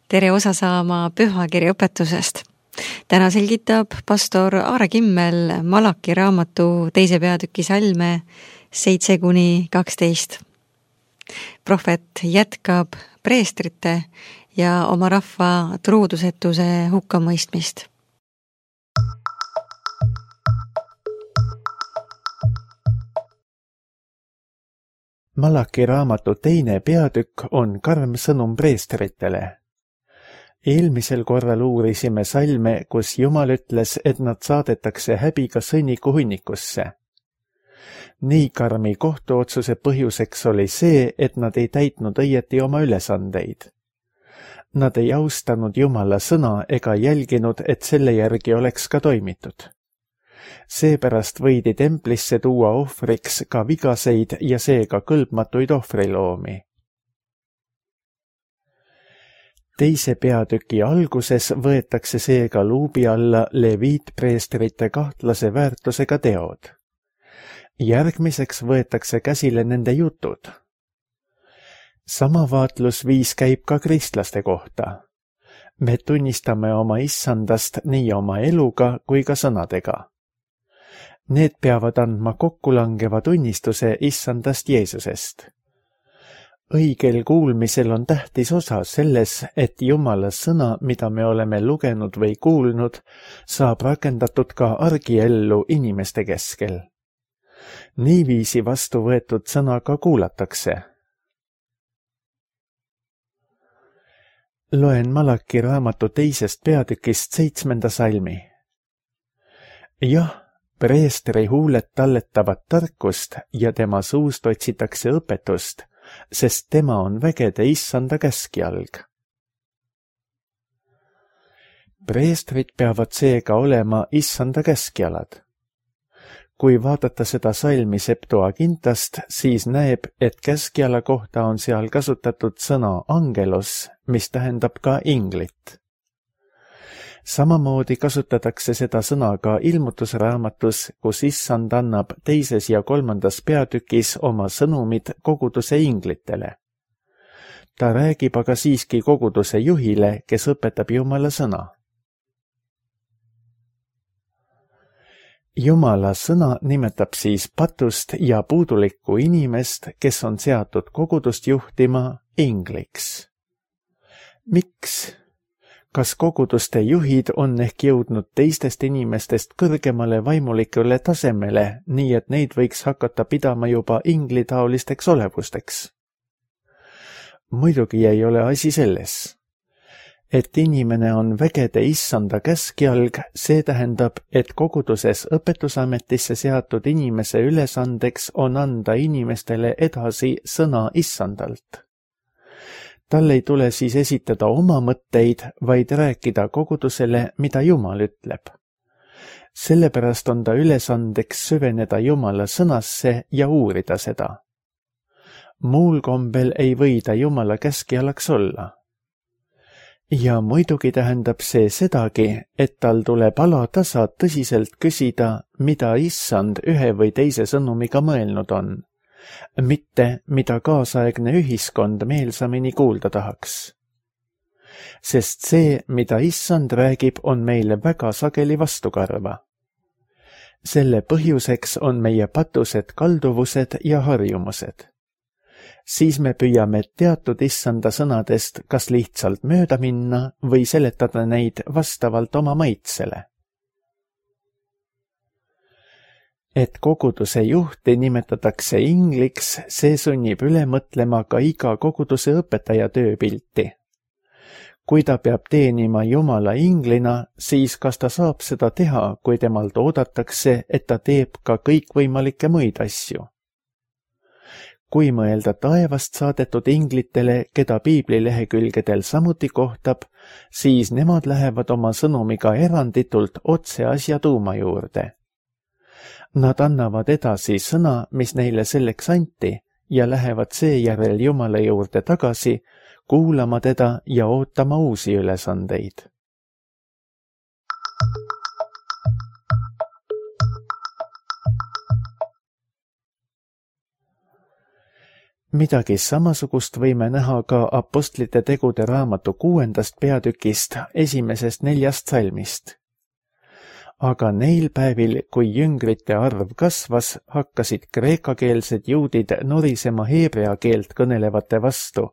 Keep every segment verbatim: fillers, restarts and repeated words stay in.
tere osa saama pühakirja õpetusest. Täna selgitab pastor Aare Kimmel Malaki raamatu teise peatüki salme seitse kuni kaksteist. Prohvet jätkab preestrite ja oma rahva truudusetuse hukkamõistmist. Malaki raamatu teine peatükk on karm sõnum preestritele. Eelmisel korral uurisime salme, kus Jumal ütles, et nad saadetakse häbiga sõnniku hunnikusse. Nii karmi kohtuotsuse põhjuseks oli see, et nad ei täitnud õieti oma ülesandeid. Nad ei austanud Jumala sõna ega jälginud, et selle järgi oleks ka toimitud. Seepärast võidi templisse tuua ohvriks ka vigaseid ja seega kõlbmatuid ohvriloomi. Teise peatüki alguses võetakse seega luubi alla leviitpreestrite kahtlase väärtusega teod. Järgmiseks võetakse käsile nende jutud. Sama vaatlusviis käib ka kristlaste kohta. Me tunnistame oma issandast nii oma eluga kui ka sõnadega. Need peavad andma kokkulangeva tunnistuse issandast Jeesusest. Õigel kuulmisel on tähtis osa selles, et Jumala sõna, mida me oleme lugenud või kuulnud, saab rakendatud ka argiellu inimeste keskel. Niiviisi vastu võetud sõna ka kuulatakse. Loen Malaki raamatu teisest peatükist seitsmenda salmi. Jah, preestri huuled talletavad tarkust ja tema suust otsitakse õpetust, sest tema on vägede issanda käskjalg. Preestrid peavad seega olema issanda käskjalad. Kui vaadata seda salmi Septuagintast, siis näeb, et käskjala kohta on seal kasutatud sõna angelos, mis tähendab ka inglit. Samamoodi kasutatakse seda sõna ka ilmutusraamatus, kus issand annab teises ja kolmandas peatükis oma sõnumid koguduse inglitele. Ta räägib aga siiski koguduse juhile, kes õpetab Jumala sõna. Jumala sõna nimetab siis patust ja puudulikku inimest, kes on seatud kogudust juhtima ingliks. Miks? Kas koguduste juhid on ehk jõudnud teistest inimestest kõrgemale vaimulikule tasemele, nii et neid võiks hakata pidama juba inglitaolisteks olevusteks? Muidugi ei ole asi selles. Et inimene on vägede issanda käskjalg, see tähendab, et koguduses õpetusametisse seatud inimese ülesandeks on anda inimestele edasi sõna issandalt. Tal ei tule siis esitada oma mõtteid, vaid rääkida kogudusele, mida Jumal ütleb. Sellepärast on ta ülesandeks süveneda Jumala sõnasse ja uurida seda. Muul kombel ei või ta Jumala käskjalaks olla. Ja muidugi tähendab see sedagi, et tal tuleb alatasa tõsiselt küsida, mida issand ühe või teise sõnumiga mõelnud on. Mitte, mida kaasaegne ühiskond meelsamini kuulda tahaks. Sest see, mida issand räägib, on meile väga sageli vastukarva. Selle põhjuseks on meie patused kalduvused ja harjumused. Siis me püüame teatud issanda sõnadest kas lihtsalt mööda minna või seletada neid vastavalt oma maitsele. Et koguduse juhti nimetatakse ingliks, see sunnib üle mõtlema ka iga koguduse õpetaja tööpilti. Kui ta peab teenima Jumala inglina, siis kas ta saab seda teha, kui temalt oodatakse, et ta teeb ka kõikvõimalikke muid asju? Kui mõelda taevast saadetud inglitele, keda piibli lehekülgedel samuti kohtab, siis nemad lähevad oma sõnumiga eranditult otse asja tuuma juurde. Nad annavad edasi sõna, mis neile selleks anti, ja lähevad seejärel Jumala juurde tagasi, kuulama teda ja ootama uusi ülesandeid. midagi samasugust võime näha ka Apostlite tegude raamatu kuuendast peatükist esimesest neljast salmist. Aga neil päevil, kui jüngrite arv kasvas, hakkasid kreekakeelsed juudid norisema heebrea keelt kõnelevate vastu,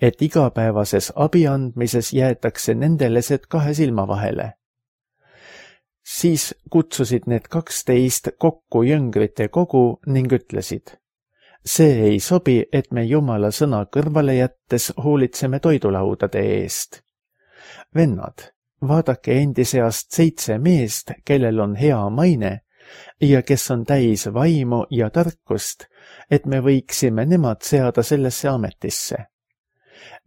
et igapäevases abi andmises jäetakse nendelesed kahe silma vahele. Siis kutsusid need kaksteist kokku jüngrite kogu ning ütlesid: see ei sobi, et me Jumala sõna kõrvale jättes hoolitseme toidulaudade eest. Vennad, vaadake endi seast seitse meest, kellel on hea maine ja kes on täis vaimu ja tarkust, et me võiksime nemad seada sellesse ametisse.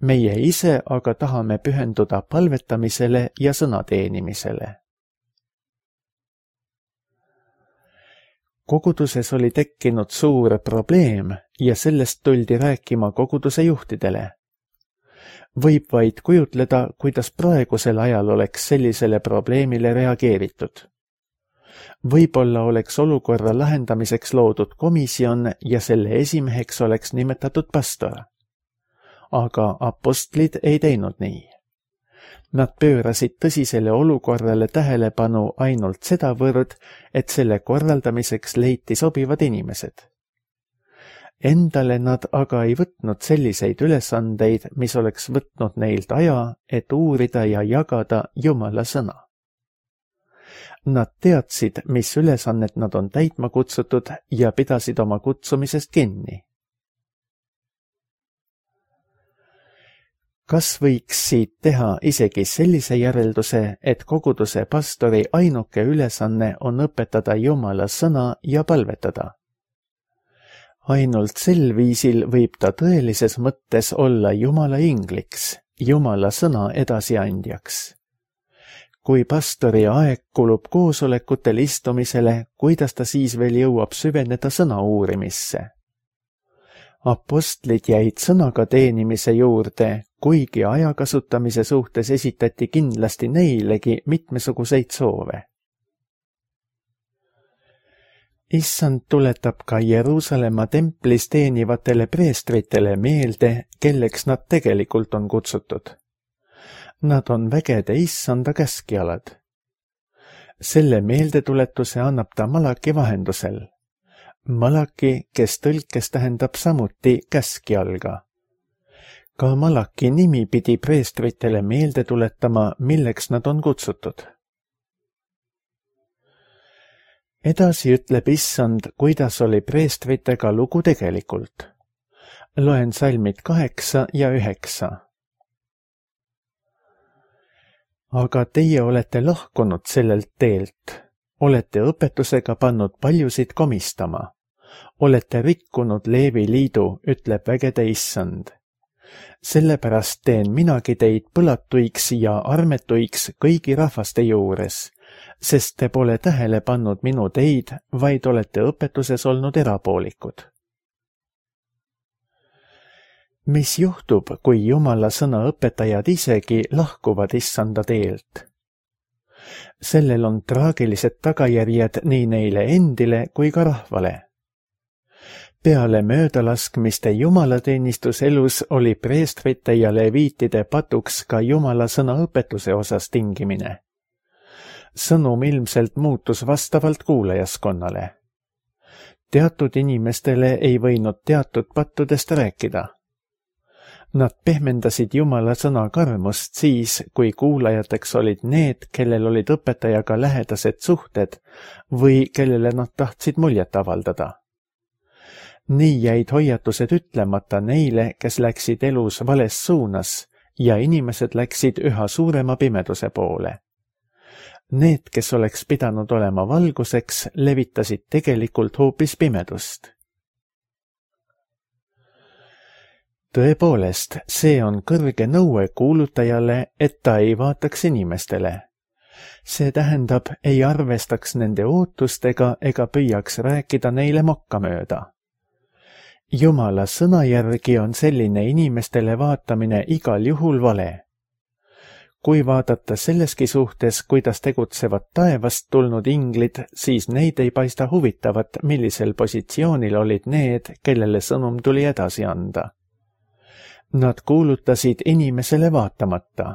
Meie ise aga tahame pühenduda palvetamisele ja sõna teenimisele. Koguduses oli tekkinud suur probleem ja sellest tuldi rääkima koguduse juhtidele. Võib vaid kujutleda, kuidas praegusel ajal oleks sellisele probleemile reageeritud. Võib-olla oleks olukorra lahendamiseks loodud komisjon ja selle esimeheks oleks nimetatud pastor. Aga apostlid ei teinud nii. Nad pöörasid tõsisele olukorrale tähelepanu ainult sedavõrd, et selle korraldamiseks leiti sobivad inimesed. Endale nad aga ei võtnud selliseid ülesandeid, mis oleks võtnud neilt aja, et uurida ja jagada Jumala sõna. Nad teadsid, mis ülesannet nad on täitma kutsutud ja pidasid oma kutsumisest kinni. Kas võiks siit teha isegi sellise järelduse, et koguduse pastori ainuke ülesanne on õpetada Jumala sõna ja palvetada? Ainult sel viisil võib ta tõelises mõttes olla Jumala ingliks, Jumala sõna edasiandjaks. Kui pastori aeg kulub koosolekutel istumisele, kuidas ta siis veel jõuab süveneda sõna uurimisse? Apostlid jäid sõnaga teenimise juurde, kuigi aja kasutamise suhtes esitati kindlasti neilegi mitmesuguseid soove. Issand tuletab ka Jeruusalemma templis teenivatele preestritele meelde, kelleks nad tegelikult on kutsutud. Nad on vägede Issanda käskjalad. Selle meeldetuletuse annab ta Malaki vahendusel. Malaki, kes tõlkes tähendab samuti käskjalga. Ka Malaki nimi pidi preestritele meelde tuletama, milleks nad on kutsutud. Edasi ütleb Issand, kuidas oli preestritega lugu tegelikult. Loen salmid kaheksa ja üheksa. Aga teie olete lahkunud sellelt teelt, olete õpetusega pannud paljusid komistama. Olete rikkunud Leevi liidu, ütleb vägede Issand. Sellepärast teen minagi teid põlatuiks ja armetuiks kõigi rahvaste juures, sest te pole tähele pannud minu teid, vaid olete õpetuses olnud erapoolikud. Mis juhtub, kui Jumala sõna õpetajad isegi lahkuvad Issanda teelt? Sellel on traagilised tagajärjed nii neile endile kui ka rahvale. Peale möödalaskmiste jumalateenistuselus oli preestrite ja leviitide patuks ka Jumala sõna õpetuse osas tingimine. Sõnum ilmselt muutus vastavalt kuulajaskonnale. Teatud inimestele ei võinud teatud pattudest rääkida. Nad pehmendasid Jumala sõna karmust siis, kui kuulajateks olid need, kellel olid õpetajaga lähedased suhted või kellele nad tahtsid muljet avaldada. Nii jäid hoiatused ütlemata neile, kes läksid elus vales suunas ja inimesed läksid üha suurema pimeduse poole. Need, kes oleks pidanud olema valguseks, levitasid tegelikult hoopis pimedust. Tõepoolest, see on kõrge nõue kuulutajale, et ta ei vaataks inimestele. See tähendab, ei arvestaks nende ootustega ega püüaks rääkida neile mokkamööda. Jumala sõna järgi on selline inimestele vaatamine igal juhul vale. kui vaadata selleski suhtes, kuidas tegutsevad taevast tulnud inglid, siis neid ei paista huvitavat, millisel positsioonil olid need, kellele sõnum tuli edasi anda. Nad kuulutasid inimesele vaatamata.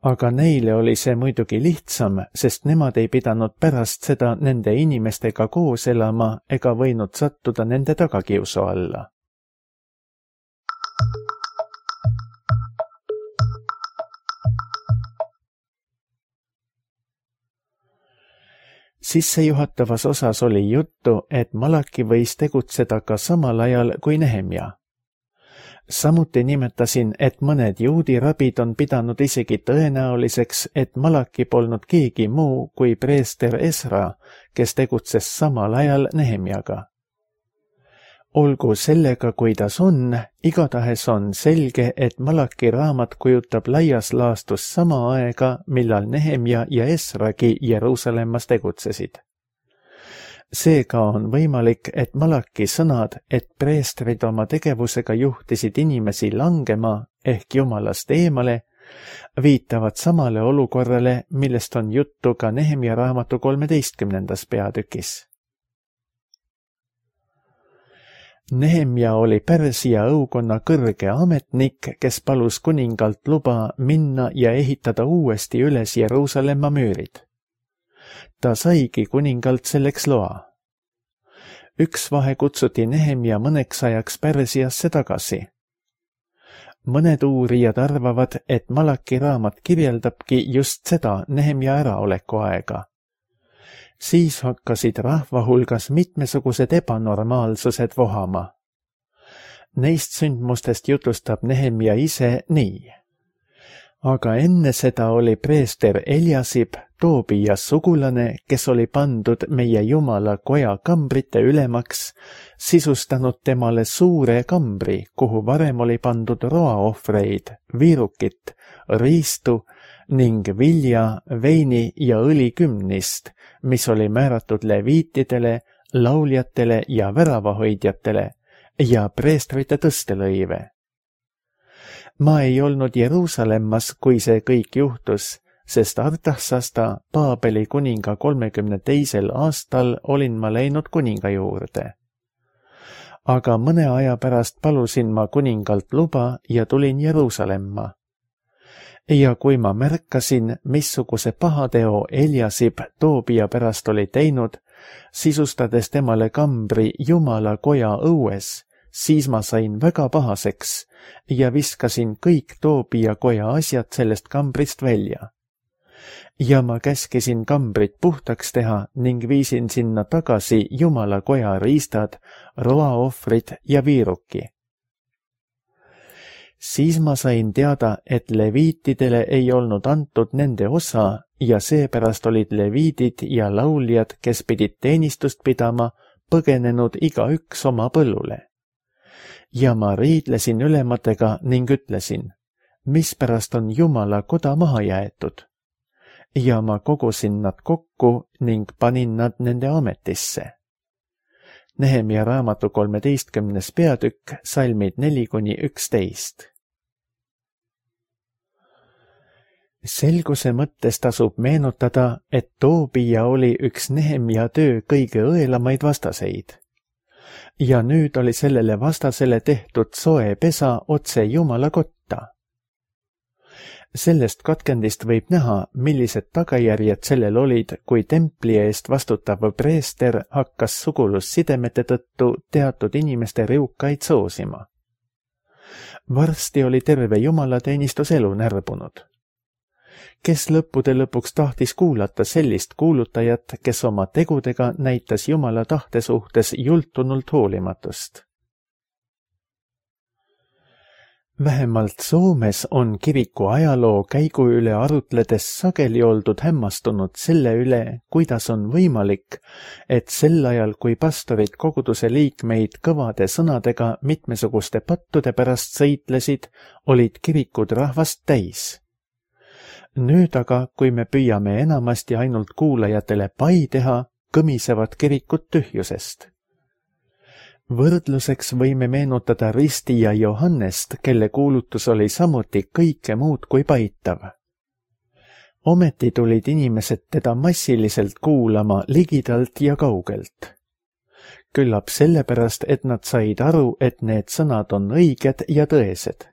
Aga neile oli see muidugi lihtsam, sest nemad ei pidanud pärast seda nende inimestega koos elama ega võinud sattuda nende tagakiusu alla. Sissejuhatavas osas oli juttu, et Malaki võis tegutseda ka samal ajal kui Nehemja. Samuti nimetasin, et mõned juudi rabid on pidanud isegi tõenäoliseks, et Malaki polnud keegi muu kui preester Esra, kes tegutses samal ajal Nehemjaga. Olgu sellega, kuidas on, igatahes on selge, et Malaki raamat kujutab laias laastus sama aega, millal Nehemja ja Esragi Jeruusalemmas tegutsesid. Seega on võimalik, et Malaki sõnad, et preestrid oma tegevusega juhtisid inimesi langema ehk Jumalast eemale, viitavad samale olukorrale, millest on juttu ka Nehemja raamatu kolmeteistkümnendas peatükis. Nehemja oli Pärsia õukonna kõrge ametnik, kes palus kuningalt luba minna ja ehitada uuesti üles Jeruusalemma müürid. Ta saigi kuningalt selleks loa. Üks vahe kutsuti Nehemja mõneks ajaks Pärsiasse tagasi. Mõned uurijad arvavad, et Malaki raamat kirjeldabki just seda Nehemja äraoleku aega. Siis hakkasid rahva hulgas mitmesugused ebanormaalsused vohama. Neist sündmustest jutustab Nehemja ise nii. Aga enne seda oli preester Eliasib, Toobia sugulane, kes oli pandud meie Jumala koja kambrite ülemaks, sisustanud temale suure kambri, kuhu varem oli pandud roaohvreid, viirukit, riistu ning vilja, veini ja õli kümnist, mis oli määratud leviitidele, lauljatele ja väravahoidjatele ja preestrite tõstelõive. Ma ei olnud Jeruusalemmas, kui see kõik juhtus, sest Artaxasta, Paabeli kuninga kolmekümne teisel aastal olin ma läinud kuninga juurde. Aga mõne aja pärast palusin ma kuningalt luba ja tulin Jeruusalemma. Ja kui ma märkasin, missuguse pahateo Eliasib Toobia pärast oli teinud, sisustades temale kambri Jumala koja õues, siis ma sain väga pahaseks ja viskasin kõik Toobia koja asjad sellest kambrist välja. Ja ma käskisin kambrit puhtaks teha ning viisin sinna tagasi Jumala koja riistad, roaohvrid ja viiruki. Siis ma sain teada, et leviitidele ei olnud antud nende osa ja seepärast olid leviidid ja lauljad, kes pidid teenistust pidama, põgenenud igaüks oma põllule. Ja ma riidlesin ülematega ning ütlesin, mispärast on Jumala koda maha jäetud. Ja ma kogusin nad kokku ning panin nad nende ametisse. Nehemja raamatu kolmeteistkümnes peatükk, salmid neli kuni üksteist. Selguse mõttes tasub meenutada, et Toobia oli üks Nehemja töö kõige õelamaid vastaseid. Ja nüüd oli sellele vastasele tehtud soe pesa otse Jumala kotta. Sellest katkendist võib näha, millised tagajärjed sellel olid, kui templi eest vastutav preester hakkas sugulussidemete tõttu teatud inimeste riukaid soosima. Varsti oli terve jumalateenistus elu närbunud. Kes lõppude lõpuks tahtis kuulata sellist kuulutajat, kes oma tegudega näitas Jumala tahte suhtes jultunult hoolimatust? Vähemalt Soomes on kiriku ajaloo käigu üle arutledes sageli oldud hämmastunud selle üle, kuidas on võimalik, et sel ajal, kui pastorid koguduse liikmeid kõvade sõnadega mitmesuguste pattude pärast sõitlesid, olid kirikud rahvast täis. Nüüd aga, kui me püüame enamasti ainult kuulajatele pai teha, kõmisevad kirikud tühjusest. Võrdluseks võime meenutada Risti ja Johannest, kelle kuulutus oli samuti kõike muud kui paitav. ometi tulid inimesed teda massiliselt kuulama ligidalt ja kaugelt. Küllap sellepärast, et nad said aru, et need sõnad on õiged ja tõesed.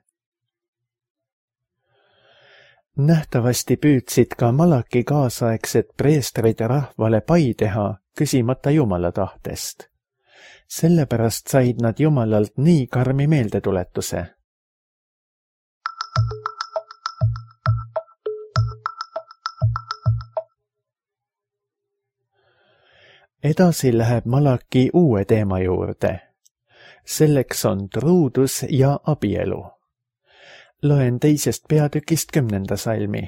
Nähtavasti püüdsid ka Malaki kaasaegsed preestrid rahvale pai teha, küsimata Jumala tahtest. Sellepärast said nad Jumalalt nii karmi meeldetuletuse. Edasi läheb Malaki uue teema juurde. Selleks on truudus ja abielu. Loen teisest peatükist kümnenda salmi.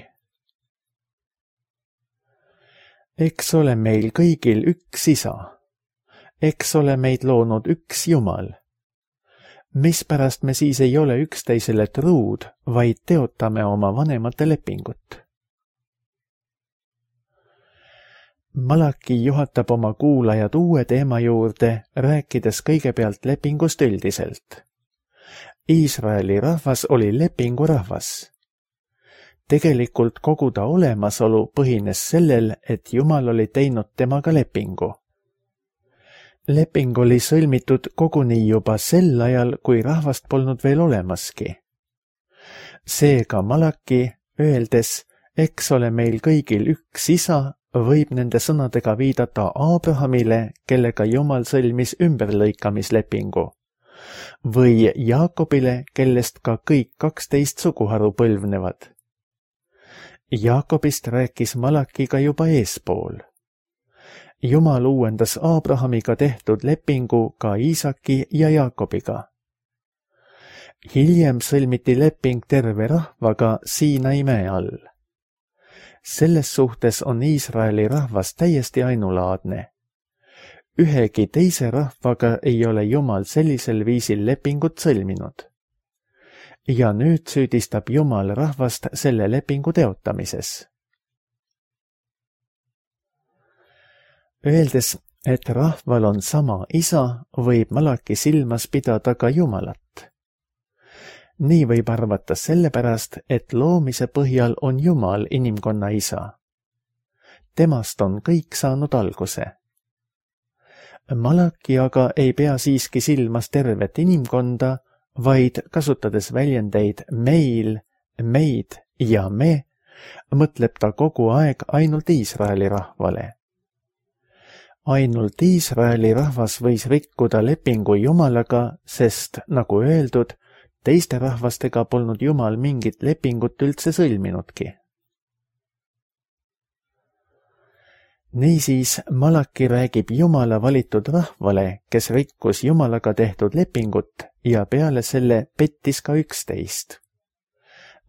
Eks ole meil kõigil üks isa. Eks ole meid loonud üks Jumal. Mispärast me siis ei ole üksteisele truud, vaid teotame oma vanemate lepingut? Malaki juhatab oma kuulajad uue teema juurde, rääkides kõigepealt lepingust üldiselt. Iisraeli rahvas oli lepingu rahvas. Tegelikult kogu ta olemasolu põhines sellel, et Jumal oli teinud temaga lepingu. Leping oli sõlmitud koguni juba sel ajal, kui rahvast polnud veel olemaski. Seega Malaki, öeldes, eks ole meil kõigil üks isa, võib nende sõnadega viidata Abrahamile, kellega Jumal sõlmis ümberlõikamislepingu, või Jaakobile, kellest ka kõik kaksteist suguharu põlvnevad. Jaakobist rääkis Malakiga juba eespool. Jumal uuendas Abrahamiga tehtud lepingu ka Iisaki ja Jaakobiga. Hiljem sõlmiti leping terve rahvaga Siinai mäe all. Selles suhtes on Iisraeli rahvas täiesti ainulaadne. Ühegi teise rahvaga ei ole Jumal sellisel viisil lepingut sõlminud. Ja nüüd süüdistab Jumal rahvast selle lepingu teotamises. Öeldes, et rahval on sama isa, võib Malaki silmas pidada ka Jumalat. Nii võib arvata sellepärast, et loomise põhjal on Jumal inimkonna isa. Temast on kõik saanud alguse. Malaki aga ei pea siiski silmas tervet inimkonda, vaid kasutades väljendeid meil, meid ja me, mõtleb ta kogu aeg ainult Iisraeli rahvale. Ainult Iisraeli rahvas võis rikkuda lepingu Jumalaga, sest, nagu öeldud, teiste rahvastega polnud Jumal mingit lepingut üldse sõlminudki. Niisiis Malaki räägib Jumala valitud rahvale, kes rikkus Jumalaga tehtud lepingut ja peale selle pettis ka üksteist.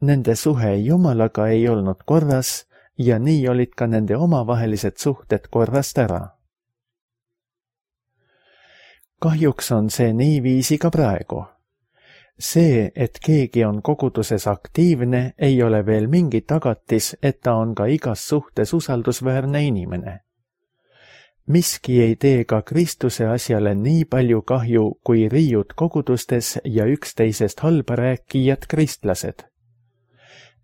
Nende suhe Jumalaga ei olnud korras ja nii olid ka nende omavahelised suhted korrast ära. Kahjuks on see niiviisi ka praegu. See, et keegi on koguduses aktiivne, ei ole veel mingi tagatis, et ta on ka igas suhtes usaldusväärne inimene. Miski ei tee ka Kristuse asjale nii palju kahju, kui riiud kogudustes ja üksteisest halba rääkijad kristlased.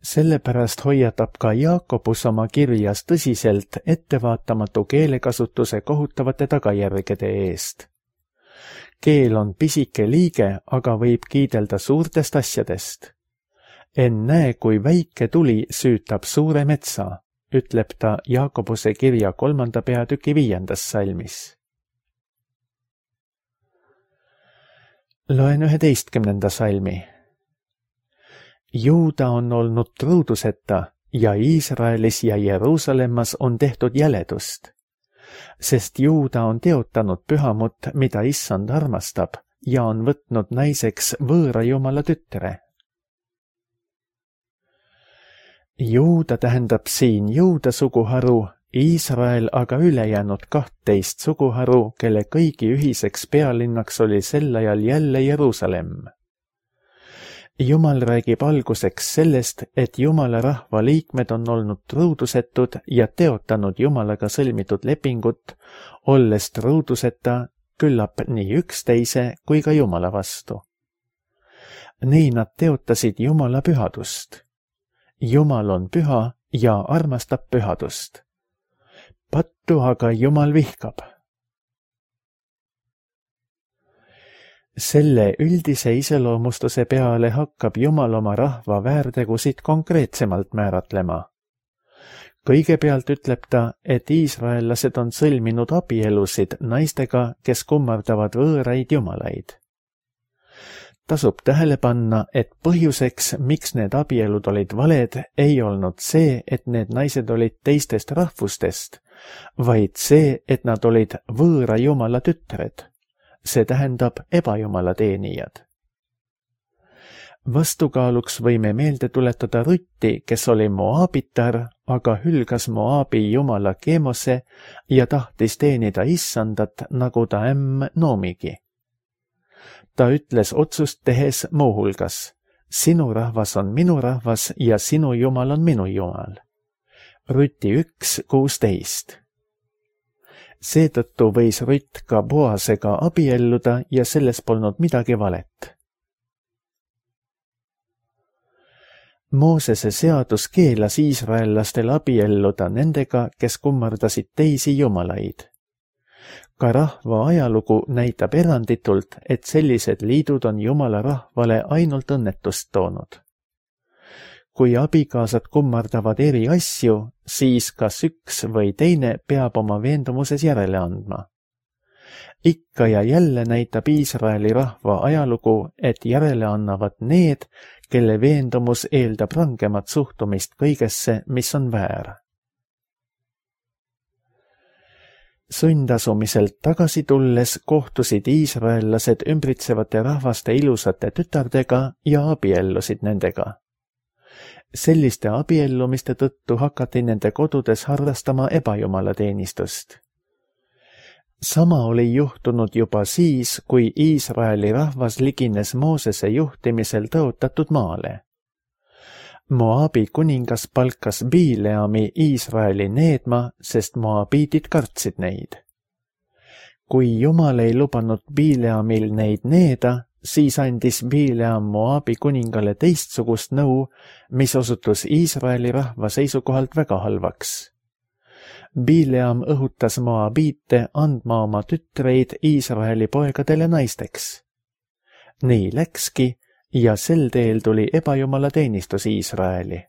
Sellepärast hoiatab ka Jaakobus oma kirjas tõsiselt ettevaatamatu keelekasutuse kohutavate tagajärgede eest. Keel on pisike liige, aga võib kiidelda suurtest asjadest. Ennäe, kui väike tuli süütab suure metsa, ütleb ta Jaakobuse kirja kolmanda peatüki viiendas salmis. Loen üheteistkümnenda salmi. Juuda on olnud truuduseta ja Iisraelis ja Jeruusalemmas on tehtud jäledust. Sest Juuda on teotanud pühamut, mida Issand armastab, ja on võtnud naiseks võõra Jumala tütre. Juuda tähendab siin Juuda suguharu, Iisrael aga ülejäänud kahtteist suguharu, kelle kõigi ühiseks pealinnaks oli sel ajal jälle Jeruusalemm. Jumal räägib alguseks sellest, et Jumala rahva liikmed on olnud truudusetud ja teotanud Jumalaga sõlmitud lepingut, olles truuduseta küllap nii üksteise kui ka Jumala vastu. Nii nad teotasid Jumala pühadust. Jumal on püha ja armastab pühadust. Pattu aga Jumal vihkab. Selle üldise iseloomustuse peale hakkab Jumal oma rahva väärtegusid konkreetsemalt määratlema. Kõigepealt ütleb ta, et iisraellased on sõlminud abielusid naistega, kes kummardavad võõraid jumalaid. Tasub tähele panna, et põhjuseks, miks need abielud olid valed, ei olnud see, et need naised olid teistest rahvustest, vaid see, et nad olid võõra jumala tütred, see tähendab ebajumala teenijad. Vastukaaluks võime meelde tuletada Rutti, kes oli Moabitar, aga hülgas Moabi jumala Kemose ja tahtis teenida issandat, nagu ta ämm Noomigi. Ta ütles otsust tehes muuhulgas, sinu rahvas on minu rahvas ja sinu jumal on minu jumal. Rutti üks kuusteist. Seetõttu võis Rutt ka Boasega abielluda ja selles polnud midagi valet. Moosese seadus keelas iisraellastel abielluda nendega, kes kummardasid teisi jumalaid. Ka rahva ajalugu näitab eranditult, et sellised liidud on jumala rahvale ainult õnnetust toonud. Kui abikaasad kummardavad eri asju, siis kas üks või teine peab oma veendumuses järele andma. Ikka ja jälle näitab Iisraeli rahva ajalugu, et järele annavad need, kelle veendumus eeldab rangemat suhtumist kõigesse, mis on väär. Sundasumiselt tagasi tulles kohtusid iisraellased ümbritsevate rahvaste ilusate tütardega ja abiellusid nendega. Selliste abiellumiste tõttu hakati nende kodudes harrastama ebajumala teenistust. Sama oli juhtunud juba siis, kui Iisraeli rahvas ligines Moosese juhtimisel tõotatud maale. Moabi kuningas palkas Bileami Iisraeli needma, sest moabiidid kartsid neid. Kui Jumal ei lubanud Bileamil neid needa, siis andis Bileam Moabi kuningale teistsugust nõu, mis osutus Iisraeli rahva seisukohalt väga halvaks. Bileam õhutas moabiite andma oma tütreid Iisraeli poegadele naisteks. Nii läkski ja sel teel tuli ebajumala teenistus Iisraeli.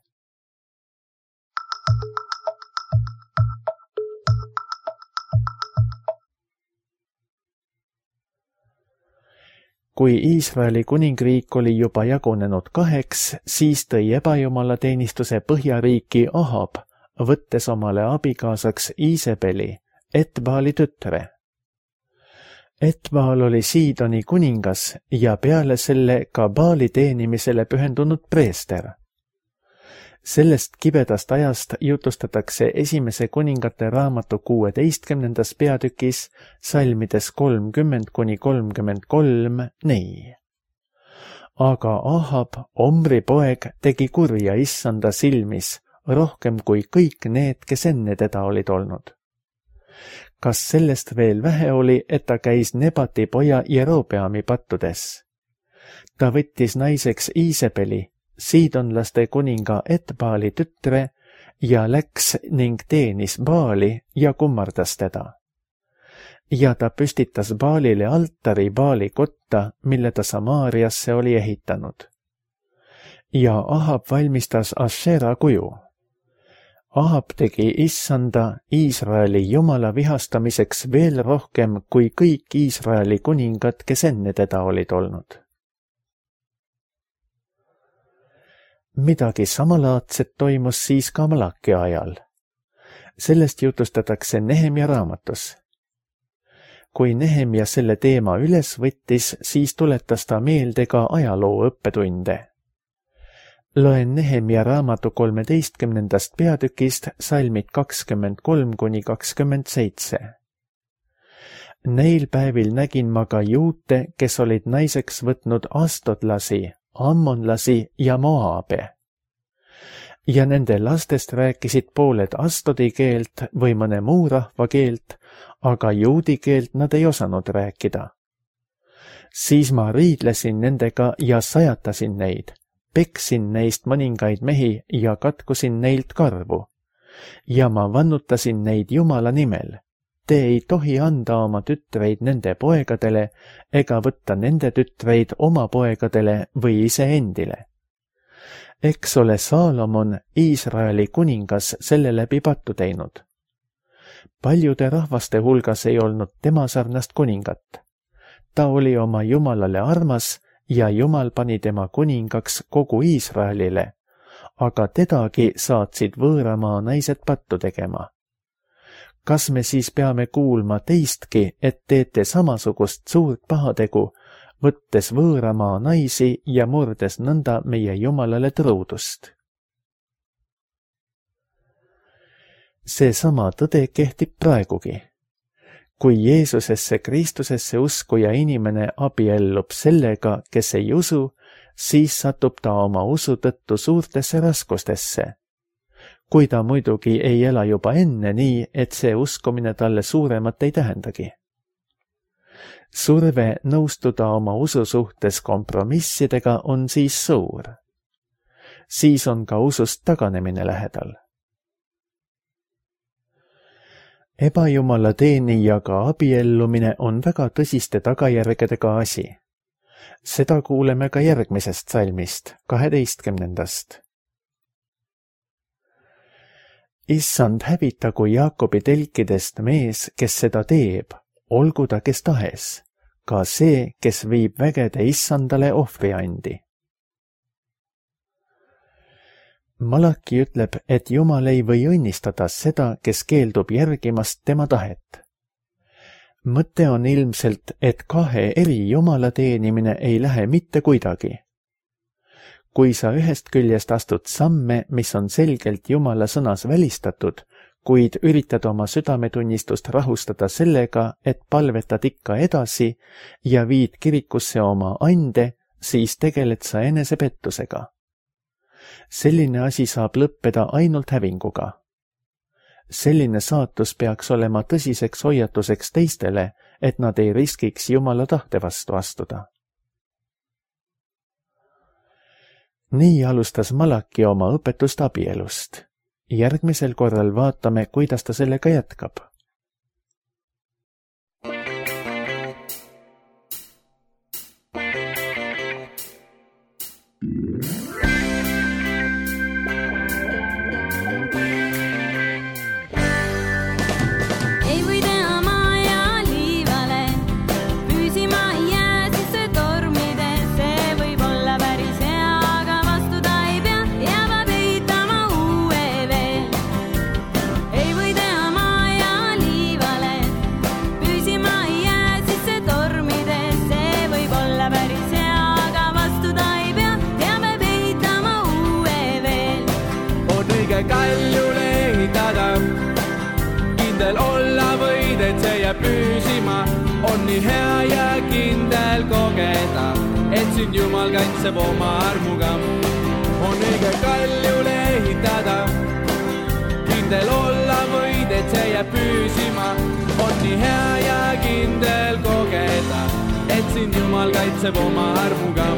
Kui Iisraeli kuningriik oli juba jagunenud kaheks, siis tõi ebajumala teenistuse Põhjariiki Ahab, võttes omale abikaasaks Iisebeli, Etbaali tütre. Etbaal oli Siidoni kuningas ja peale selle ka Baali teenimisele pühendunud preester. Sellest kibedast ajast jutustatakse esimese kuningate raamatu kuueteistkümnendas peatükis salmides kolmkümmend kuni kolmkümmend kolm nii. Aga Ahab, Omri poeg, tegi kurja issanda silmis, rohkem kui kõik need, kes enne teda olid olnud. Kas sellest veel vähe oli, et ta käis Nebati poja Jerobeami pattudes? Ta võttis naiseks Iisebeli, siidonlaste kuninga Etbaali tütre, ja läks ning teenis Baali ja kummardas teda. Ja ta püstitas Baalile altari Baali kotta, mille ta Samaariasse oli ehitanud. Ja Ahab valmistas Ashera kuju. Ahab tegi issanda Iisraeli jumala vihastamiseks veel rohkem kui kõik Iisraeli kuningad, kes enne teda olid olnud. Midagi samalaadset toimus siis ka Malaki ajal. Sellest jutustatakse Nehemia raamatus. Kui Nehemia selle teema üles võttis, siis tuletas ta meelde ka ajaloo õppetunde. Loen Nehemia raamatu kolmeteistkümnendast peatükist salmid kakskümmend kolm kuni kakskümmend seitse. Neil päevil nägin ma ka juute, kes olid naiseks võtnud astodlasi, ammonlasi ja moaabe. Ja nende lastest rääkisid pooled astodi keelt või mõne muu rahva keelt, aga juudi keelt nad ei osanud rääkida. Siis ma riidlesin nendega ja sajatasin neid, peksin neist mõningaid mehi ja katkusin neilt karvu. Ja ma vannutasin neid Jumala nimel. Te ei tohi anda oma tütreid nende poegadele ega võtta nende tütreid oma poegadele või iseendile. Eks ole Saalomon, Iisraeli kuningas, selle läbi pattu teinud. Paljude rahvaste hulgas ei olnud tema sarnast kuningat. Ta oli oma Jumalale armas ja Jumal pani tema kuningaks kogu Iisraelile, aga tedagi saatsid võõramaa naised pattu tegema. Kas me siis peame kuulma teistki, et teete samasugust suurt pahategu, võttes võõramaa naisi ja murdes nõnda meie Jumalale truudust? Seesama tõde kehtib praegugi. Kui Jeesusesse Kristusesse uskuja inimene abiellub sellega, kes ei usu, siis satub ta oma usu tõttu suurtesse raskustesse. Kui ta muidugi ei ela juba enne nii, et see uskumine talle suuremat ei tähendagi. Surve nõustuda oma usu suhtes kompromissidega on siis suur. Siis on ka usust taganemine lähedal. Ebajumala teenijaga abiellumine on väga tõsiste tagajärgedega asi. Seda kuuleme ka järgmisest salmist, kaheteistkümnendast. Issand hävitagu Jaakobi telkidest mees, kes seda teeb, olgu ta kes tahes, ka see, kes viib vägede Issandale ohvriandi. Malaki ütleb, et Jumal ei või õnnistada seda, kes keeldub järgimast tema tahet. Mõte on ilmselt, et kahe eri Jumala teenimine ei lähe mitte kuidagi. Kui sa ühest küljest astud samme, mis on selgelt Jumala sõnas välistatud, kuid üritad oma südametunnistust rahustada sellega, et palvetad ikka edasi ja viid kirikusse oma ande, siis tegeled sa enesepettusega. Selline asi saab lõppeda ainult hävinguga. Selline saatus peaks olema tõsiseks hoiatuseks teistele, et nad ei riskiks Jumala tahte vastu astuda. Nii alustas Malaki oma õpetust abielust. Järgmisel korral vaatame, kuidas ta sellega jätkab. Kaljule ehitada, kindel olla võid, et see jääb püsima. On nii hea ja kindel kogeda, et sind Jumal kaitseb oma armuga. On õige kaljule ehitada, kindel olla võid, et see jääb püsima. On nii hea ja kindel kogeda, et sind Jumal kaitseb oma armuga.